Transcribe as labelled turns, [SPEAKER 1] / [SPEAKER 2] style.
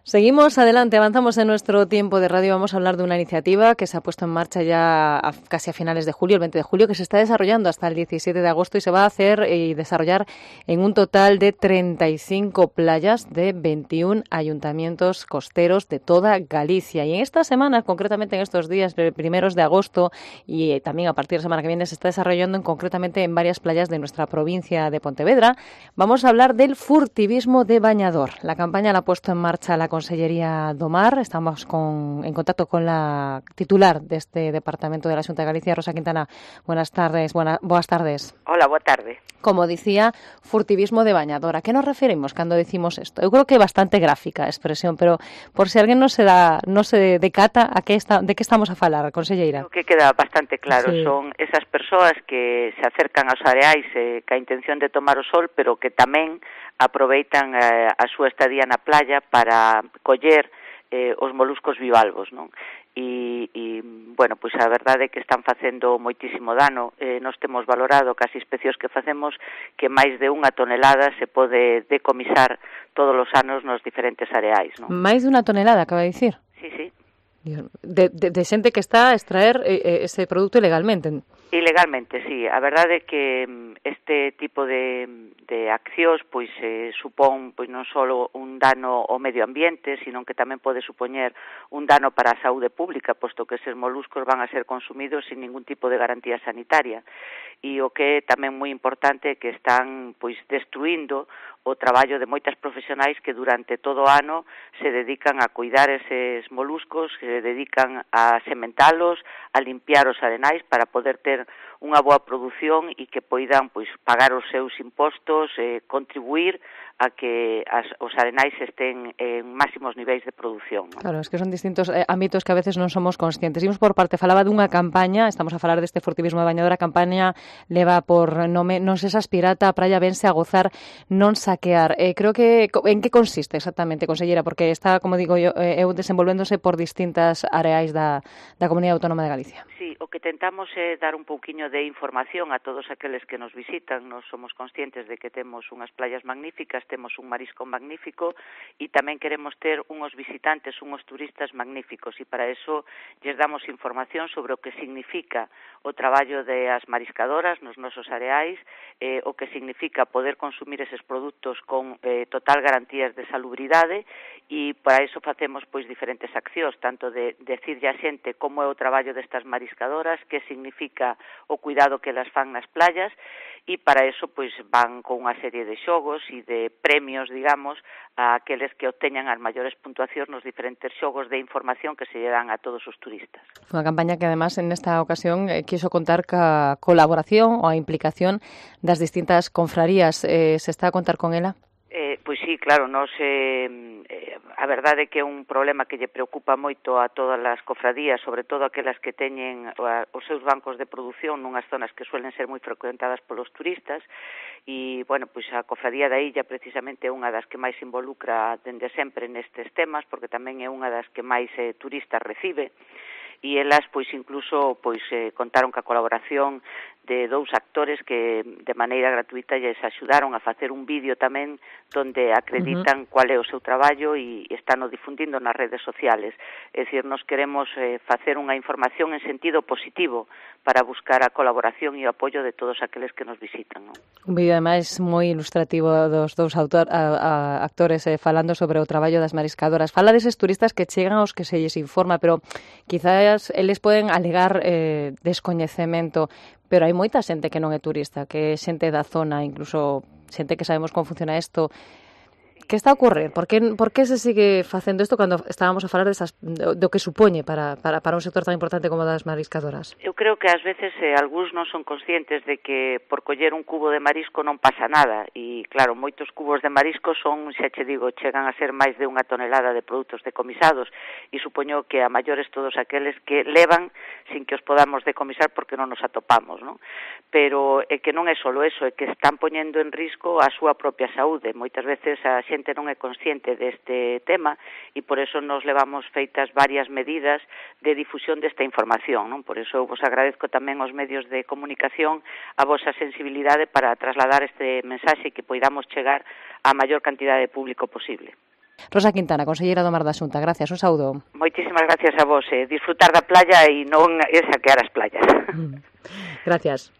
[SPEAKER 1] Seguimos adelante, avanzamos en nuestro tiempo de radio. Vamos a hablar de una iniciativa que se ha puesto en marcha ya casi a finales de julio, el 20 de julio, que se está desarrollando hasta el 17 de agosto y se va a hacer y desarrollar en un total de 35 playas de 21 ayuntamientos costeros de toda Galicia. Y en esta semana, concretamente en estos días primeros de agosto y también a partir de la semana que viene, se está desarrollando concretamente en varias playas de nuestra provincia de Pontevedra. Vamos a hablar del furtivismo de bañador. La campaña la ha puesto en marcha la Consellería do Mar. Estamos en contacto con la titular de este departamento de la Xunta de Galicia, Rosa Quintana. Buenas tardes. Boas tardes.
[SPEAKER 2] Hola, boa tarde.
[SPEAKER 1] Como dicía, furtivismo de bañador. A que nos referimos cando decimos isto? Eu creo que é bastante gráfica a expresión, pero por se alguén non se decata de que estamos a falar, conselleira.
[SPEAKER 2] O que queda bastante claro,
[SPEAKER 1] sí.
[SPEAKER 2] Son esas persoas que se acercan aos areais ca intención de tomar o sol, pero que tamén aproveitan a súa estadía na playa para coller os moluscos bivalvos, non? Bueno, pois a verdade é que están facendo moitísimo dano. Nós temos valorado cas inspeccións que facemos que máis de 1 tonelada se pode decomisar todos os anos nos diferentes areais, non?
[SPEAKER 1] Máis de 1 tonelada, acaba de dicir?
[SPEAKER 2] Sí, sí.
[SPEAKER 1] De xente que está a extraer ese produto ilegalmente.
[SPEAKER 2] Ilegalmente, sí. A verdade é que este tipo de accións pois supón pois non só un dano ao medio ambiente, sino que tamén pode supoñer un dano para a saúde pública, posto que eses moluscos van a ser consumidos sin ningún tipo de garantía sanitaria. E o que é tamén moi importante é que están pois destruindo o traballo de moitas profesionais que durante todo o ano se dedican a cuidar eses moluscos, se dedican a sementalos, a limpiar os arenais para poder ter unha boa produción e que poidan pois pagar os seus impostos, contribuir a que os arenais estén en máximos niveis de produción, non?
[SPEAKER 1] Claro, es que son distintos ámbitos que a veces non somos conscientes. Imos por parte, falaba dunha campaña, estamos a falar deste furtivismo de bañador, a campaña leva por nome Non sexas pirata, a praia vense a gozar, non saquear. Creo que, en que consiste exactamente, conselleira? Porque está, como digo eu desenvolvéndose por distintas areais da Comunidade Autónoma de Galicia.
[SPEAKER 2] Sí, o que tentamos é dar un pouquiño de información a todos aqueles que nos visitan. Nos somos conscientes de que temos unhas playas magníficas, temos un marisco magnífico e tamén queremos ter unhos visitantes, unhos turistas magníficos e para eso lles damos información sobre o que significa o traballo das mariscadoras nos nosos areais, o que significa poder consumir eses produtos con total garantías de salubridade e para eso facemos pois diferentes accións, tanto de decirlle a xente como é o traballo destas mariscadoras, que significa o cuidado que elas fan nas playas e para eso pois van con unha serie de xogos e de premios, digamos, a aqueles que obteñan as maiores puntuacións nos diferentes xogos de información que se lle dan a todos os turistas.
[SPEAKER 1] Unha campaña que además en esta ocasión quiso contar ca colaboración ou a implicación das distintas confrarías. Se está a contar con ela?
[SPEAKER 2] Pois sí, claro, nós a verdade é que é un problema que lle preocupa moito a todas as cofradías, sobre todo aquelas que teñen os seus bancos de produción nunhas zonas que suelen ser moi frecuentadas polos turistas e, bueno, pois a cofradía da Illa precisamente é unha das que máis se involucra dende sempre nestes temas, porque tamén é unha das que máis turistas recibe e elas pois incluso pois contaron ca colaboración de 2 actores que de maneira gratuita lles axudaron a facer un vídeo tamén donde acreditan cual é o seu traballo e están o difundindo nas redes sociales. É dicir, nos queremos facer unha información en sentido positivo para buscar a colaboración e o apoio de todos aqueles que nos visitan, non?
[SPEAKER 1] Un vídeo, ademais, moi ilustrativo dos 2 actores falando sobre o traballo das mariscadoras. Fala deses turistas que chegan aos que se lles informa, pero quizás eles poden alegar descoñecemento, pero hai moita xente que non é turista, que é xente da zona, incluso xente que sabemos como funciona isto. Que está a ocurrir? Por que se sigue facendo isto cando estábamos a falar do que supoñe para un sector tan importante como das mariscadoras?
[SPEAKER 2] Eu creo que ás veces algúns non son conscientes de que por coller un cubo de marisco non pasa nada e, claro, moitos cubos de marisco son, xa che digo, chegan a ser máis de 1 tonelada de produtos decomisados e supoño que a maiores todos aqueles que levan sin que os podamos decomisar porque non nos atopamos, non? Pero é que non é só eso, é que están poñendo en risco a súa propia saúde. Moitas veces a xente non é consciente deste tema e por eso nos levamos feitas varias medidas de difusión desta información, non? Por eso vos agradezco tamén aos medios de comunicación a vosa sensibilidade para trasladar este mensaxe que poidamos chegar á maior cantidade de público posible.
[SPEAKER 1] Rosa Quintana, conselleira do Mar da Xunta, gracias, un saúdo.
[SPEAKER 2] Moitísimas gracias a vos, disfrutar da playa e non saquear as playas.
[SPEAKER 1] Gracias.